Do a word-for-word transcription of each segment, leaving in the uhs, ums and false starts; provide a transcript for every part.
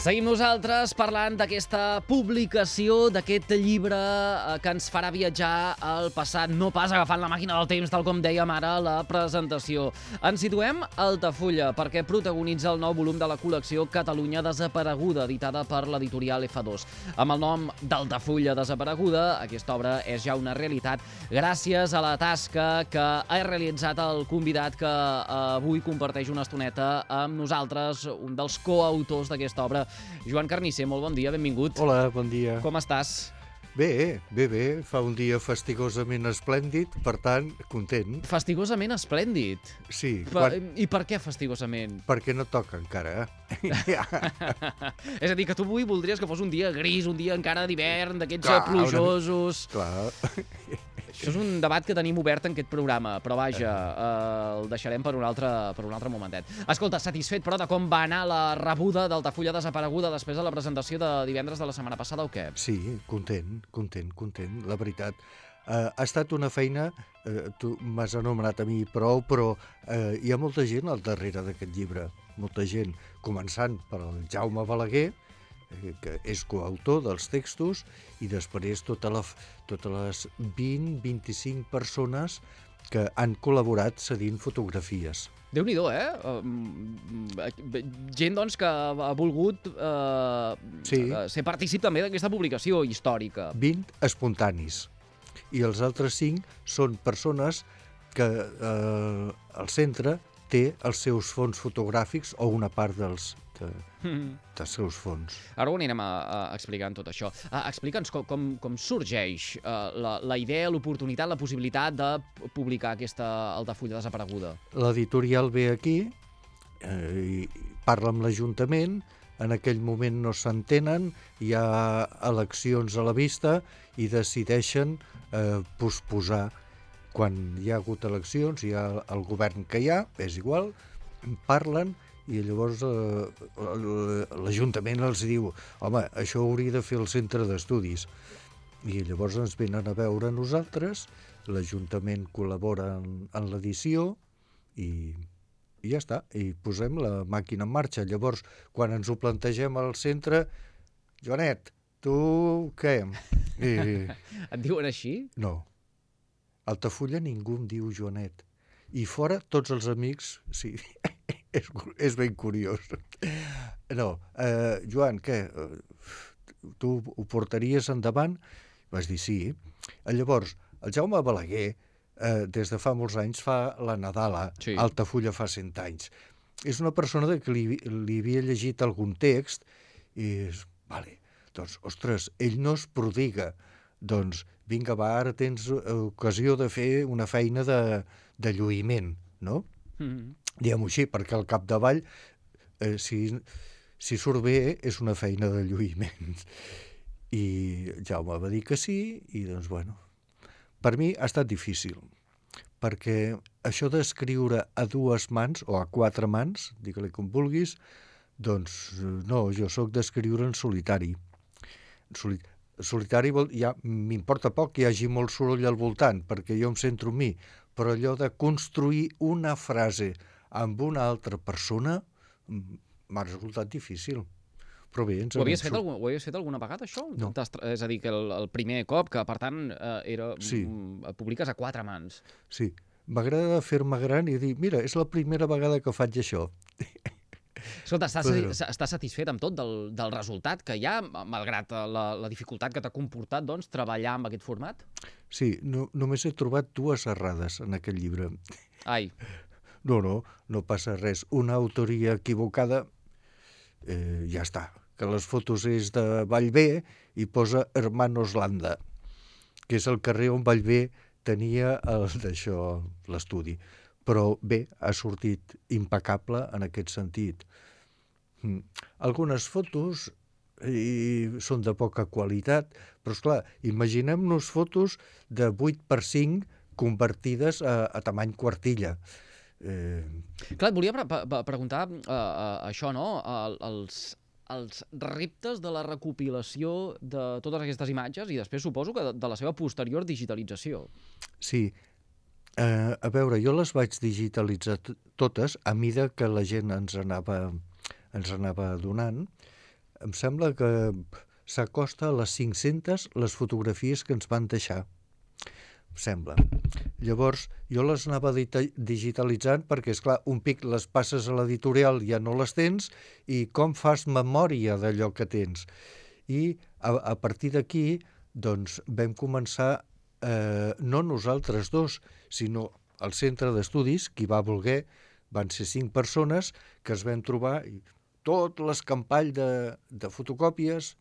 Seguim nosaltres parlant d'aquesta publicació, d'aquest llibre que ens farà viatjar al passat, no pas agafant la màquina del temps, tal com dèiem ara a la presentació. Ens situem a Altafulla, perquè protagonitza el nou volum de la col·lecció Catalunya Desapareguda, editada per l'editorial efa dos. Amb el nom d'Altafulla Desapareguda, aquesta obra és ja una realitat gràcies a la tasca que ha realitzat el convidat que avui comparteix una estoneta amb nosaltres, un dels coautors d'aquesta obra, Joan Carnisser. Molt bon dia, benvingut. Hola, bon dia. Com estàs? Bé, bé, bé. Fa un dia fastigosament esplèndid, per tant, content. Fastigosament esplèndid? Sí. Pa quan... I per què fastigosament? Perquè no toca encara. És a dir, que tu avui voldries que fos un dia gris, un dia encara d'hivern, d'aquests Clar, plujosos... Una... Clar. Això és un debat que tenim obert en aquest programa, però vaja, eh, el deixarem per un altre, per un altre momentet. Escolta, satisfet, però, de com va anar la rebuda d'Altafulla Desapareguda després de la presentació de divendres de la setmana passada o què? Sí, content, content, content, la veritat. Uh, ha estat una feina, uh, tu m'has anomenat a mi prou, però uh, hi ha molta gent al darrere d'aquest llibre, molta gent, començant per el Jaume Balaguer, que és coautor dels textos, i després tota la, totes les vint a vint-i-cinc persones que han col·laborat cedint fotografies. Déu-n'hi-do, eh? Uh, gent, doncs, que ha volgut uh, sí. ser partícip també d'aquesta publicació històrica. vint espontanis. I els altres cinc són persones que uh, el centre té els seus fons fotogràfics o una part dels de, dels seus fons. Ara ho anirem a, a explicant tot això. Uh, Explica'ns com, com, com sorgeix uh, la, la idea, l'oportunitat, la possibilitat de publicar aquesta Altafulla Desapareguda. L'editorial ve aquí, eh, i parla amb l'Ajuntament, en aquell moment no s'entenen, hi ha eleccions a la vista i decideixen eh, posposar. Quan hi ha hagut eleccions, hi ha el govern que hi ha, és igual, parlen, i llavors eh, l'Ajuntament els diu home, això ho hauria de fer el centre d'estudis. I llavors ens venen a veure nosaltres, l'Ajuntament col·labora en, en l'edició i, i ja està, i posem la màquina en marxa. Llavors, quan ens ho plantegem al centre, Joanet, tu què? I... Et diuen així? No. A Altafulla ningú em diu Joanet. I fora, tots els amics, sí, és, és ben curiós. No, eh, Joan, què? Tu ho portaries endavant? Vas dir sí. Llavors, el Jaume Balaguer, eh, des de fa molts anys, fa la Nadala, sí. Altafulla fa cent anys. És una persona que li, li havia llegit algun text i és, vale, doncs, ostres, ell no es prodiga. Doncs, vinga, va, ara tens ocasió de fer una feina de, de lluïment, no? Mm-hmm. Diguem-ho així, perquè al capdavall, eh, si, si surt bé, és una feina de lluïment. I Jaume va dir que sí, i doncs, bueno, per mi ha estat difícil, perquè això d'escriure a dues mans, o a quatre mans, digue-li com vulguis, doncs no, jo sóc d'escriure en solitari. En solitari. Solitari ja m'importa poc que hi hagi molt soroll al voltant, perquè jo em centro en mi, però allò de construir una frase amb una altra persona m'ha resultat difícil. Però bé, ens ho havies fet, algun, ho havies fet alguna vegada, això? No. És a dir, que el, el primer cop, que per tant era, sí. publiques a quatre mans. Sí, m'agrada fer-me gran i dir, mira, és la primera vegada que faig això. Escolta, estàs, Però... estàs satisfet amb tot del, del resultat que hi ha, malgrat la, la dificultat que t'ha comportat, doncs, treballar amb aquest format? Sí, no, només he trobat dues errades en aquest llibre. Ai. No, no, no passa res. Una autoria equivocada, eh, ja està. Que les fotos és de Vallvé i posa Hermanos Landa, que és el carrer on Vallvé tenia el d'això, l'estudi. Però bé, ha sortit impecable en aquest sentit. Mm. Algunes fotos i són de poca qualitat, però esclar, imaginem-nos fotos de vuit per cinc convertides a, a tamany quartilla. Eh... Clar, et volia pre pre preguntar uh, uh, això, no? Uh, els, els reptes de la recopilació de totes aquestes imatges i després suposo que de, de la seva posterior digitalització. Sí. Uh, a veure, jo les vaig digitalitzar totes a mida que la gent ens anava, ens anava donant. em sembla que s'acosta a les cinc-centes les fotografies que ens van deixar, em sembla. Llavors, jo les anava digitalitzant perquè, és clar, un pic les passes a l'editorial, ja no les tens, i com fas memòria d'allò que tens? I a, a partir d'aquí, doncs, vam començar, eh, no nosaltres dos, sinó el centre d'estudis, qui va voler, van ser cinc persones que es vam trobar, i tot l'escampall de, de fotocòpies.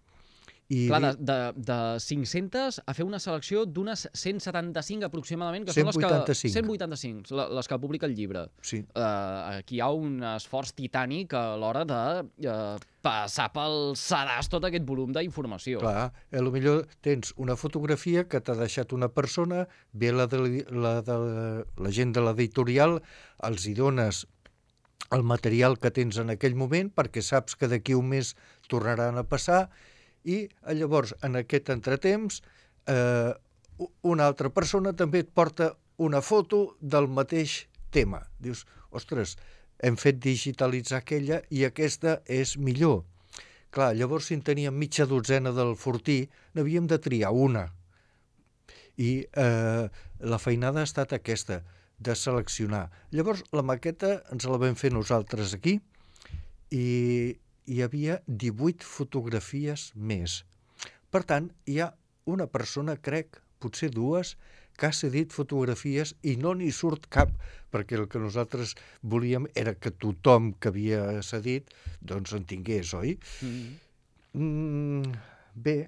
I Clar, de, de, de cinc-centes a fer una selecció d'unes cent setanta-cinc aproximadament, que són les que... cent vuitanta-cinc. cent vuitanta-cinc, les que publica el llibre. Sí. Uh, aquí hi ha un esforç titànic a l'hora de uh, passar pel sedàs tot aquest volum d'informació. Clar, a lo millor tens una fotografia que t'ha deixat una persona, ve la, de, la, de, la gent de l'editorial, els hi dones el material que tens en aquell moment perquè saps que d'aquí un mes tornaran a passar, i llavors en aquest entretemps eh, una altra persona també et porta una foto del mateix tema. Dius, ostres, hem fet digitalitzar aquella i aquesta és millor. Clar, llavors si en teníem mitja dotzena del fortí, n'havíem de triar una. I eh, la feinada ha estat aquesta, de seleccionar. Llavors la maqueta ens la vam fer nosaltres aquí i hi havia divuit fotografies més. Per tant, hi ha una persona, crec, potser dues, que ha cedit fotografies i no n'hi surt cap, perquè el que nosaltres volíem era que tothom que havia cedit doncs en tingués, oi? Mm-hmm. Mm, bé,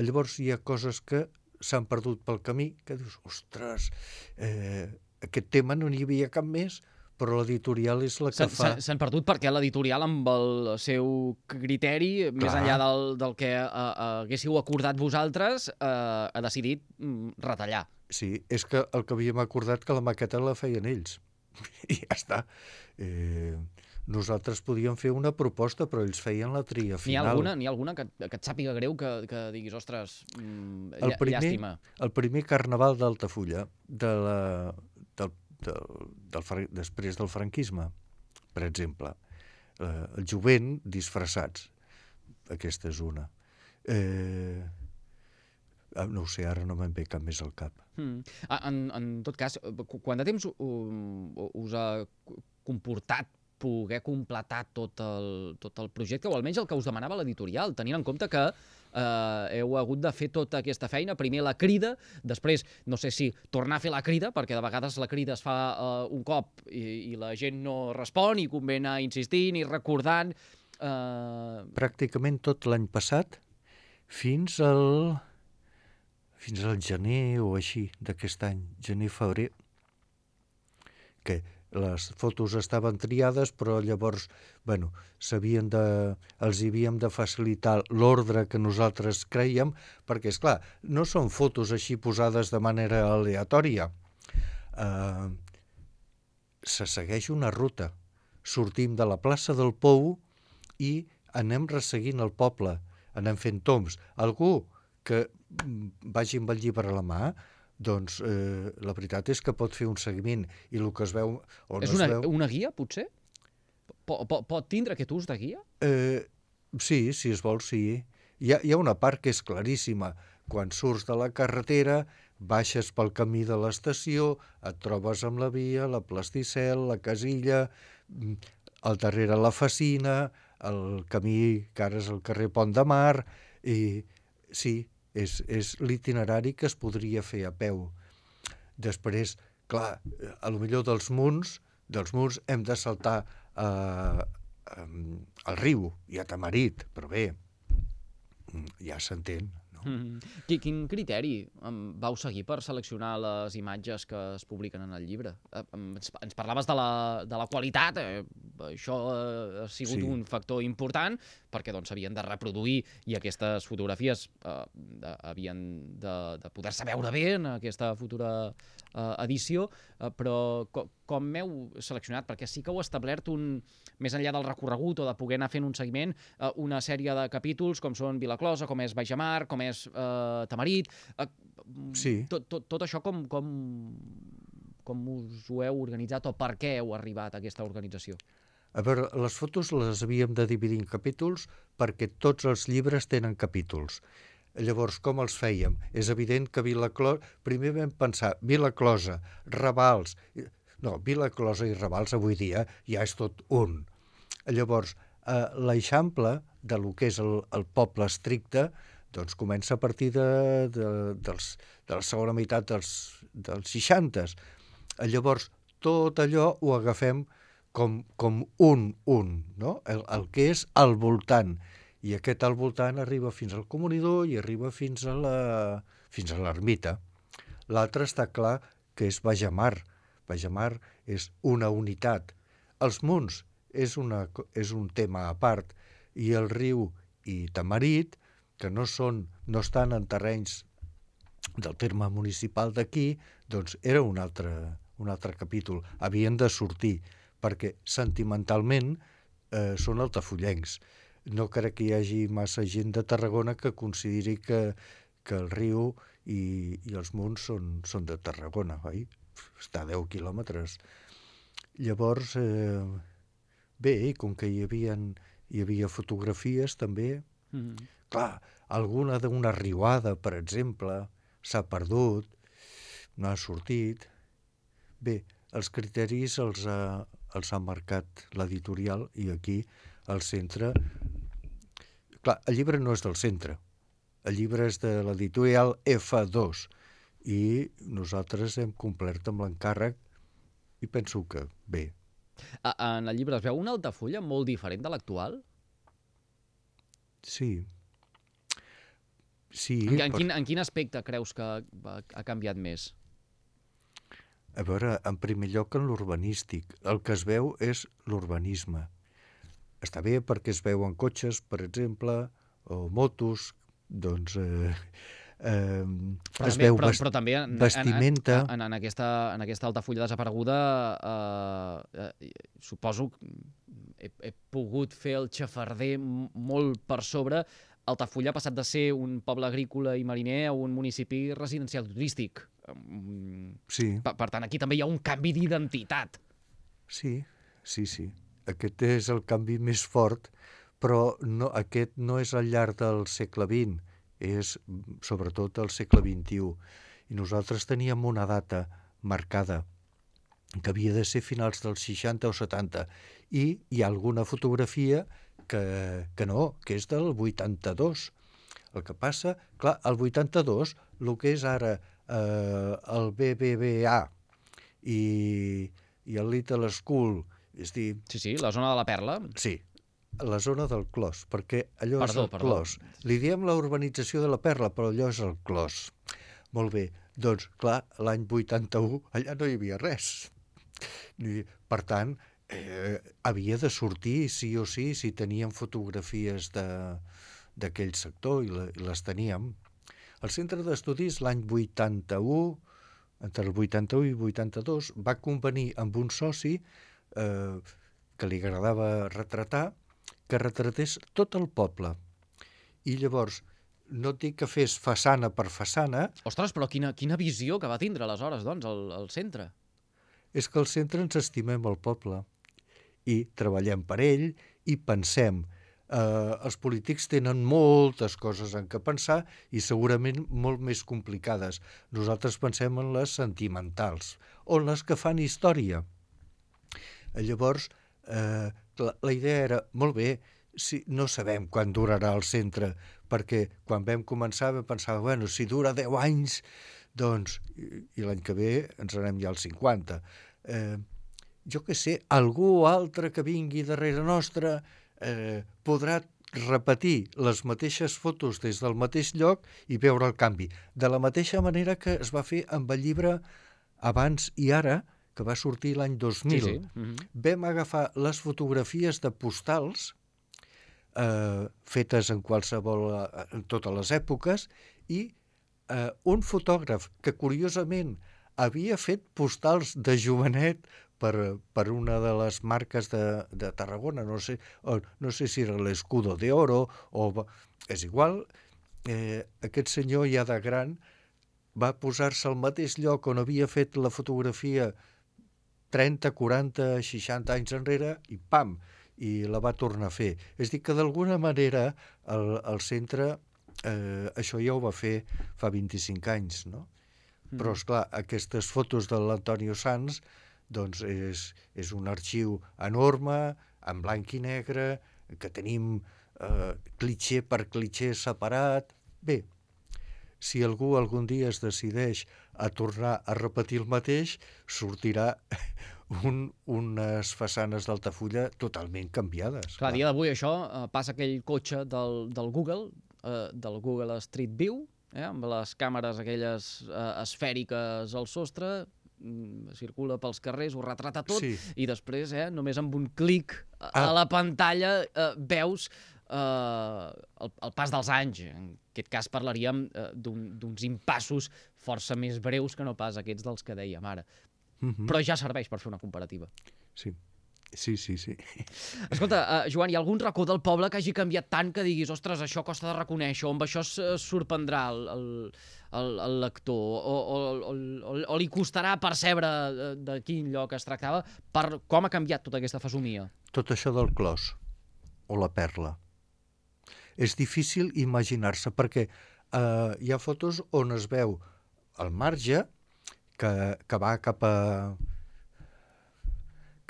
llavors hi ha coses que s'han perdut pel camí, que dius, ostres, eh, aquest tema no n'hi havia cap més, però l'editorial és la que fa... S'han perdut perquè l'editorial, amb el seu criteri, Clar. més enllà del, del que uh, uh, haguéssiu acordat vosaltres, uh, ha decidit um, retallar. Sí, és que el que havíem acordat que la maqueta la feien ells. I ja està. Eh, nosaltres podíem fer una proposta, però ells feien la tria final. N'hi ha alguna, n'hi ha alguna que, que et sàpiga greu, que, que diguis, ostres, mm, el primer, llàstima? El primer carnaval d'Altafulla, de la... del Del, del, després del franquisme, per exemple. Eh, el jovent disfressats. Aquesta és una. Eh, no ho sé, ara no me'n ve cap més al cap. Mm. En, en tot cas, quant de temps us ha comportat poder completar tot el, tot el projecte, o almenys el que us demanava l'editorial, tenint en compte que eh, heu hagut de fer tota aquesta feina, primer la crida, després, no sé si tornar a fer la crida, perquè de vegades la crida es fa eh, un cop i, i la gent no respon i convé anar insistint i recordant. Eh... Pràcticament tot l'any passat, fins al, fins al gener o així d'aquest any, gener-febrer, que les fotos estaven triades, però llavors, bueno, s'havien de, els havíem de facilitar l'ordre que nosaltres creiem, perquè, és clar, no són fotos així posades de manera aleatòria. Eh, se segueix una ruta. Sortim de la plaça del Pou i anem resseguint el poble, anem fent tombs. Algú que vagi amb el llibre a la mà, doncs eh, la veritat és que pot fer un seguiment i el que es veu o no és una, es veu... una guia, potser? Pot, pot, pot tindre aquest ús de guia? Eh, sí, si es vol, sí. Hi ha, hi ha una part que és claríssima. Quan surts de la carretera, baixes pel camí de l'estació, et trobes amb la via, la Plasticel, la Casilla, al darrere la Facina, el camí que ara és el carrer Pont de Mar, i sí, és, és l'itinerari que es podria fer a peu. Després, clar, a lo millor dels munts, dels munts hem de saltar eh, eh, al riu i a Tamarit, però bé, ja s'entén. No? Mm. Quin criteri vau seguir per seleccionar les imatges que es publiquen en el llibre? Ens, ens parlaves de la, de la qualitat, eh, això ha sigut sí. un factor important, perquè doncs s'havien de reproduir i aquestes fotografies eh, de, havien de, de poder-se veure bé en aquesta futura eh, edició, eh, però com, com m'heu seleccionat? Perquè sí que heu establert un, més enllà del recorregut o de poder anar fent un seguiment, eh, una sèrie de capítols com són Vilaclosa, com és Baixamar, com és eh, Tamarit, eh, sí. tot, tot, tot això com, com, com us ho heu organitzat o per què heu arribat a aquesta organització? A veure, les fotos les havíem de dividir en capítols perquè tots els llibres tenen capítols. Llavors, com els fèiem? És evident que Vilaclosa... Primer vam pensar Vilaclosa, Ravals... No, Vilaclosa i Ravals avui dia ja és tot un. Llavors, eh, l'eixample de lo que és el, el poble estricte doncs comença a partir de, de, dels, de la segona meitat dels, dels seixantes. Llavors, tot allò ho agafem com, com un, un, no? El, el que és al voltant. I aquest al voltant arriba fins al comunidor i arriba fins a la, fins a l'ermita. L'altre està clar que és Bajamar. Bajamar és una unitat. Els munts és, una, és un tema a part, i el riu i Tamarit, que no, són, no estan en terrenys del terme municipal d'aquí, doncs era un altre, un altre capítol. Havien de sortir, perquè sentimentalment eh, són altafollencs. No crec que hi hagi massa gent de Tarragona que consideri que, que el riu i, i els munts són, són de Tarragona, oi? Està a deu quilòmetres. Llavors, eh, bé, com que hi havia, hi havia fotografies també, mm-hmm. Clar, alguna d'una riuada, per exemple, s'ha perdut, no ha sortit. Bé, els criteris els ha, els ha marcat l'editorial i aquí al centre... Clar, el llibre no és del centre, el llibre és de l'editorial F dos i nosaltres hem complert amb l'encàrrec i penso que bé. En el llibre es veu una Altafulla molt diferent de l'actual? Sí. Sí. En, en, quin, en quin aspecte creus que ha, ha canviat més? A veure, en primer lloc en l'urbanístic. El que es veu és l'urbanisme. Està bé perquè es veuen cotxes, per exemple, o motos, doncs eh, eh, però es també, veu però, vest, però també en, vestimenta... En, en, en, aquesta, en aquesta Altafulla desapareguda eh, eh, suposo que he, he pogut fer el xafarder molt per sobre. Altafulla ha passat de ser un poble agrícola i mariner a un municipi residencial turístic. Sí. Per, per tant, aquí també hi ha un canvi d'identitat. Sí, sí, sí. Aquest és el canvi més fort, però no, aquest no és al llarg del segle vint, és sobretot al segle vint-i-u. I nosaltres teníem una data marcada, que havia de ser finals dels seixanta o setanta, i hi ha alguna fotografia que, que no, que és del vuitanta-dos. El que passa, clar, el vuitanta-dos, el que és ara eh, el B B V A i, i el Little School, és dir... Sí, sí, la zona de la Perla. Sí, la zona del Clos, perquè allò perdó, és el perdó. Clos. Li diem la urbanització de la Perla, però allò és el Clos. Molt bé, doncs, clar, l'any vuitanta-u allà no hi havia res. Per tant, eh, havia de sortir sí o sí si teníem fotografies d'aquell sector i, la, i les teníem. El centre d'estudis l'any vuitanta-u, entre el vuitanta-u i vuitanta-dos, va convenir amb un soci eh, que li agradava retratar, que retratés tot el poble. I llavors, no et dic que fes façana per façana... Ostres, però quina, quina visió que va tindre aleshores, doncs, el, el centre. És que al centre ens estimem el poble i treballem per ell i pensem. Eh, els polítics tenen moltes coses en què pensar i segurament molt més complicades. Nosaltres pensem en les sentimentals o en les que fan història. Llavors, eh, la, la idea era, molt bé, si, no sabem quan durarà el centre, perquè quan vam començar vam pensar, bueno, si dura deu anys, doncs, i, i l'any que ve ens anem ja als cinquanta. Eh, jo què sé, algú altre que vingui darrere nostra eh, podrà repetir les mateixes fotos des del mateix lloc i veure el canvi. De la mateixa manera que es va fer amb el llibre Abans i Ara, que va sortir l'any dos mil. Sí, sí. Mm-hmm. Vam agafar les fotografies de postals eh, fetes en qualsevol, en totes les èpoques, i eh, un fotògraf que curiosament havia fet postals de jovenet per, per una de les marques de, de Tarragona, no sé, o, no sé si era l'Escudo de Oro, o és igual, eh, aquest senyor ja de gran va posar-se al mateix lloc on havia fet la fotografia trenta, quaranta, seixanta anys enrere i pam, i la va tornar a fer. És a dir, que d'alguna manera el, el centre eh, això ja ho va fer fa vint-i-cinc anys, no? Mm. Però, esclar, aquestes fotos de l'Antonio Sanz doncs és, és un arxiu enorme, en blanc i negre, que tenim eh, clitxer per clitxer separat. Bé, si algú algun dia es decideix a tornar a repetir el mateix, sortirà un, unes façanes d'Altafulla totalment canviades. Clar, a dia d'avui això eh, passa aquell cotxe del, del Google, eh, del Google Street View, eh, amb les càmeres aquelles eh, esfèriques al sostre, circula pels carrers, ho retrata tot, sí. I després, eh, només amb un clic a, ah. a la pantalla eh, veus eh, el, el pas dels anys. En aquest cas parlaríem eh, d'uns impassos força més breus que no pas aquests dels que dèiem ara. Mm-hmm. Però ja serveix per fer una comparativa. Sí. Sí, sí, sí. Escolta, uh, Joan, hi ha algun racó del poble que hagi canviat tant que diguis, ostres, això costa de reconèixer, o amb això es sorprendrà el, el, el, el lector, o, o, o, o, o li costarà percebre de, de quin lloc es tractava, per com ha canviat tota aquesta fesomia? Tot això del clos, o la perla. És difícil imaginar-se, perquè uh, hi ha fotos on es veu el marge que, que va cap a...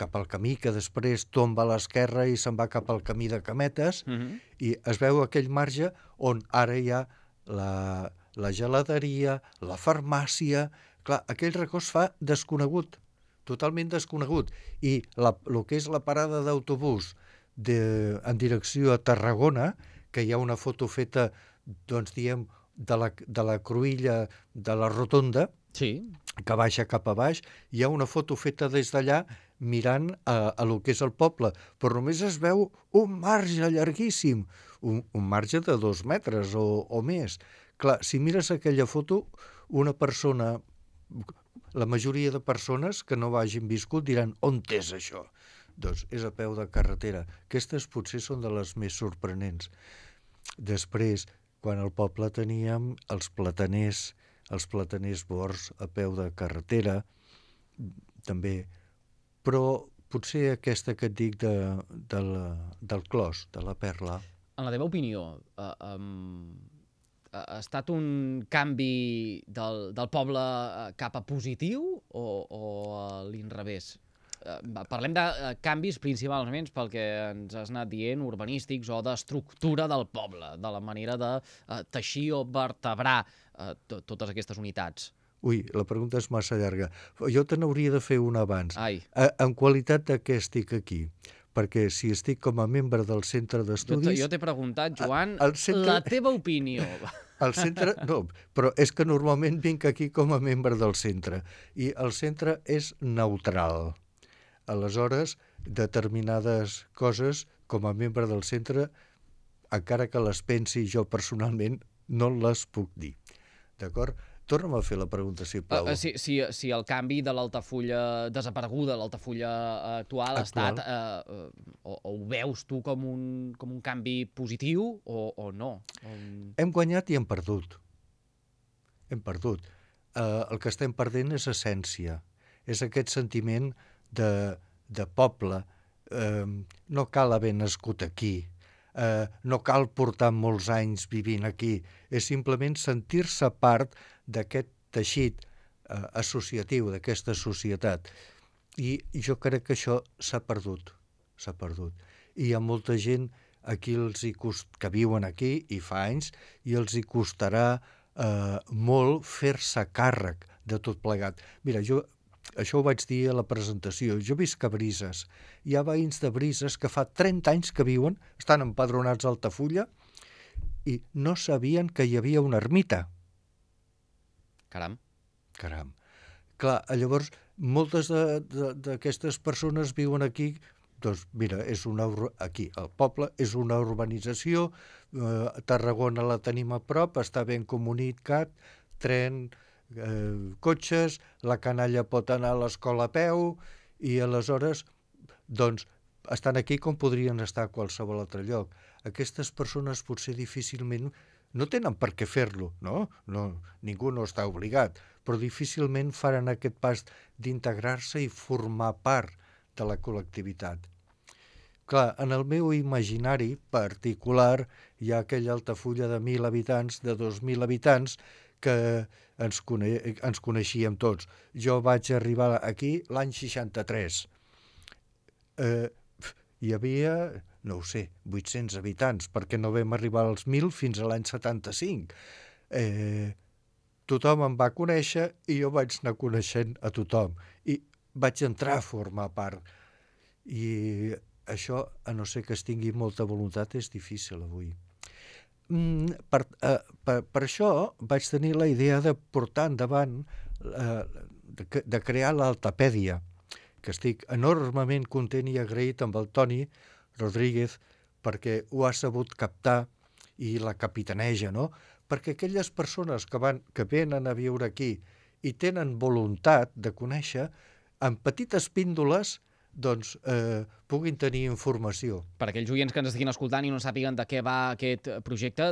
cap al camí, que després tomba a l'esquerra i se'n va cap al camí de Cametes, uh-huh. I es veu aquell marge on ara hi ha la, la geladeria, la farmàcia... Clar, aquell racó es fa desconegut, totalment desconegut. I la, el que és la parada d'autobús de, en direcció a Tarragona, que hi ha una foto feta, doncs diem, de la, de la cruïlla de la rotonda, sí. Que baixa cap a baix, hi ha una foto feta des d'allà mirant a, a lo que és el poble, però només es veu un marge llarguíssim, un, un marge de dos metres o, o més. Clar, si mires aquella foto, una persona, la majoria de persones que no hagin viscut diran, on és això? Doncs és a peu de carretera. Aquestes potser són de les més sorprenents. Després, quan al poble teníem els plataners, els plataners bords a peu de carretera, també, però potser aquesta que et dic de, de la, del clos, de la perla. En la teva opinió, eh, um, ha estat un canvi del, del poble cap a positiu o, o a l'inrevés? Uh, parlem de uh, canvis principalment pel que ens has anat dient, urbanístics o d'estructura del poble, de la manera de uh, teixir o vertebrar uh, totes aquestes unitats. Ui, la pregunta és massa llarga. Jo te n'hauria de fer una abans. Ai. A, en qualitat de què estic aquí? Perquè si estic com a membre del centre d'estudis... Jo t'he preguntat, Joan, centre... la teva opinió. El centre, no, però és que normalment vinc aquí com a membre del centre. I el centre és neutral. Aleshores, determinades coses, com a membre del centre, encara que les pensi jo personalment, no les puc dir. D'acord? Torna'm a fer la pregunta, sisplau. Uh, si, si, si el canvi de l'Altafulla desapareguda, l'Altafulla actual, ha estat... Uh, uh, o, o ho veus tu com un, com un canvi positiu o, o no? Um... Hem guanyat i hem perdut. Hem perdut. Uh, el que estem perdent és essència. És aquest sentiment de, de poble. Uh, no cal haver nascut aquí. Uh, no cal portar molts anys vivint aquí. És simplement sentir-se part d'aquest teixit uh, associatiu, d'aquesta societat. I jo crec que això s'ha perdut. S'ha perdut. I hi ha molta gent aquí els hi cost... que viuen aquí i fa anys i els hi costarà uh, molt fer-se càrrec de tot plegat. Mira, jo això ho vaig dir a la presentació. Jo visc a Brises. Hi ha veïns de Brises que fa trenta anys que viuen, estan empadronats a Altafulla i no sabien que hi havia una ermita. Caram. Caram. Clar, llavors, moltes d'aquestes persones viuen aquí, doncs mira, és una, aquí el poble és una urbanització, eh, Tarragona la tenim a prop, està ben comunicat, tren, eh, cotxes, la canalla pot anar a l'escola a peu i aleshores, doncs, estan aquí com podrien estar a qualsevol altre lloc. Aquestes persones potser difícilment no tenen per què fer-lo, no? no? Ningú no està obligat, però difícilment faran aquest pas d'integrar-se i formar part de la col·lectivitat. Clar, en el meu imaginari particular hi ha aquella Altafulla de mil habitants, de dos mil habitants, que ens, cone ens coneixíem tots. Jo vaig arribar aquí l'any seixanta-tres. Eh, hi havia, no ho sé, vuit-cents habitants, perquè no vam arribar als mil fins a l'any setanta-cinc. Eh, tothom em va conèixer i jo vaig anar coneixent a tothom. I vaig entrar a formar part. I això, a no ser que es tingui molta voluntat, és difícil avui. Mm, per, eh, per, per això vaig tenir la idea de portar endavant, eh, de, de crear l'Altapèdia, que estic enormement content i agraït amb el Toni Rodríguez perquè ho ha sabut captar i la capitaneja, no? Perquè aquelles persones que, van, que venen a viure aquí i tenen voluntat de conèixer, en petites píndoles, doncs eh, puguin tenir informació. Per aquells oients que ens estiguin escoltant i no sàpiguen de què va aquest projecte,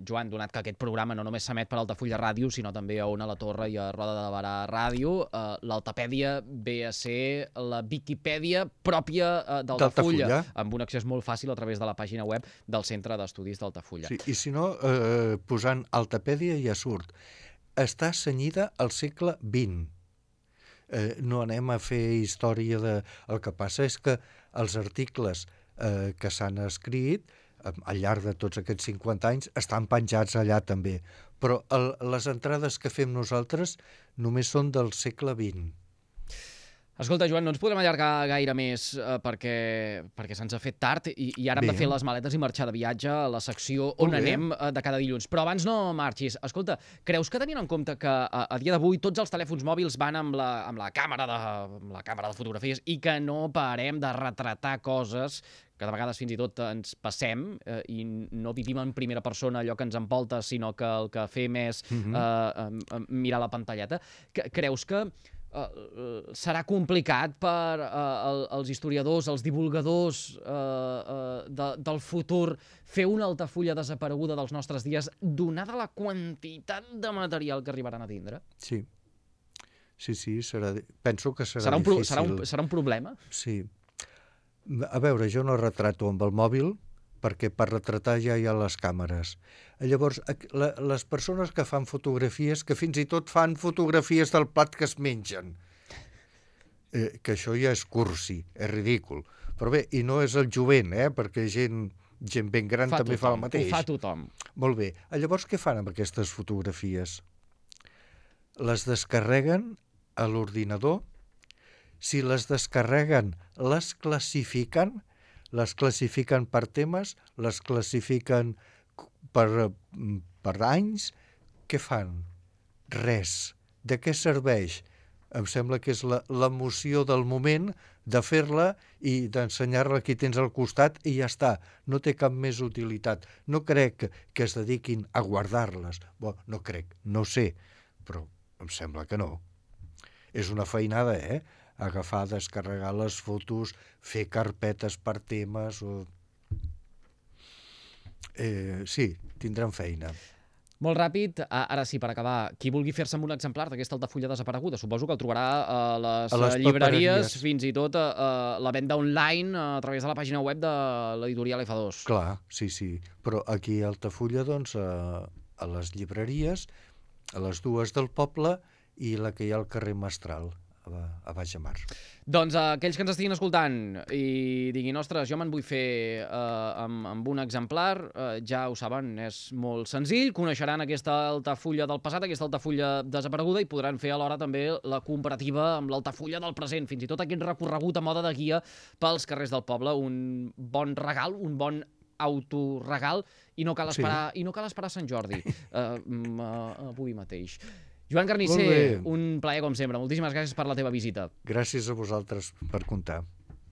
Joan, donat que aquest programa no només s'emet per Altafulla Ràdio, sinó també a Ona la Torre i a Roda de Barà Ràdio, eh, l'Altapèdia ve a ser la Viquipèdia pròpia eh, d'Altafulla, amb un accés molt fàcil a través de la pàgina web del Centre d'Estudis d'Altafulla. Sí, i si no, eh, posant Altapèdia ja surt. Està cenyida al segle vint. Eh, no anem a fer història de... El que passa és que els articles eh, que s'han escrit eh, al llarg de tots aquests cinquanta anys estan penjats allà també, però el, les entrades que fem nosaltres només són del segle vint. Escolta, Joan, no ens podrem allargar gaire més eh, perquè, perquè se'ns ha fet tard i, i ara hem Bé. de fer les maletes i marxar de viatge a la secció on anem eh, de cada dilluns. Però abans no marxis. Escolta, creus que tenint en compte que a, a dia d'avui tots els telèfons mòbils van amb la, amb la càmera de, amb la càmera de fotografies i que no parem de retratar coses que de vegades fins i tot ens passem eh, i no vivim en primera persona allò que ens envolta, sinó que el que fem és mm-hmm. eh, eh, mirar la pantalleta, que, creus que Uh, serà complicat per uh, el, els historiadors, els divulgadors uh, uh, de, del futur fer una Altafulla desapareguda dels nostres dies, donada la quantitat de material que arribaran a tindre? Sí, sí, sí, serà, penso que serà, serà un difícil. Serà un, serà un problema? Sí. A veure, jo no retrato amb el mòbil, perquè per retratar ja hi ha les càmeres. Llavors, la, les persones que fan fotografies, que fins i tot fan fotografies del plat que es mengen, eh, que això ja és cursi, és ridícul. Però bé, i no és el jovent, eh, perquè gent, gent ben gran fa també tothom, fa el mateix. Ho fa tothom. Molt bé. Llavors, què fan amb aquestes fotografies? Les descarreguen a l'ordinador. Si les descarreguen, les classifiquen, les classifiquen per temes, les classifiquen per, per anys. Què fan? Res. De què serveix? Em sembla que és l'emoció del moment de fer-la i d'ensenyar-la a qui tens al costat i ja està. No té cap més utilitat. No crec que, que es dediquin a guardar-les. Bon, no crec, no sé, però em sembla que no. És una feinada, eh? Agafar, descarregar les fotos, fer carpetes per temes... O... Eh, sí, tindran feina. Molt ràpid, ara sí, per acabar, qui vulgui fer-se amb un exemplar d'aquesta Altafulla desapareguda, suposo que el trobarà a les, a les llibreries, fins i tot a, a la venda online a través de la pàgina web de l'editorial F dos. Clar, sí, sí, però aquí a Altafulla, doncs, a, a les llibreries, a les dues del poble i la que hi ha al carrer Mestral, a Baix de Mar. Doncs uh, aquells que ens estiguin escoltant i diguin, ostres, jo me'n vull fer uh, amb, amb un exemplar, uh, ja ho saben, és molt senzill, coneixeran aquesta Altafulla del passat, aquesta Altafulla desapareguda i podran fer alhora també la comparativa amb l'Altafulla del present, fins i tot aquest recorregut a moda de guia pels carrers del poble, un bon regal, un bon autoregal, i no cal esperar, sí. i no cal esperar Sant Jordi, uh, uh, avui mateix. Joan Carnisser, un plaer com sempre. Moltíssimes gràcies per la teva visita. Gràcies a vosaltres per comptar.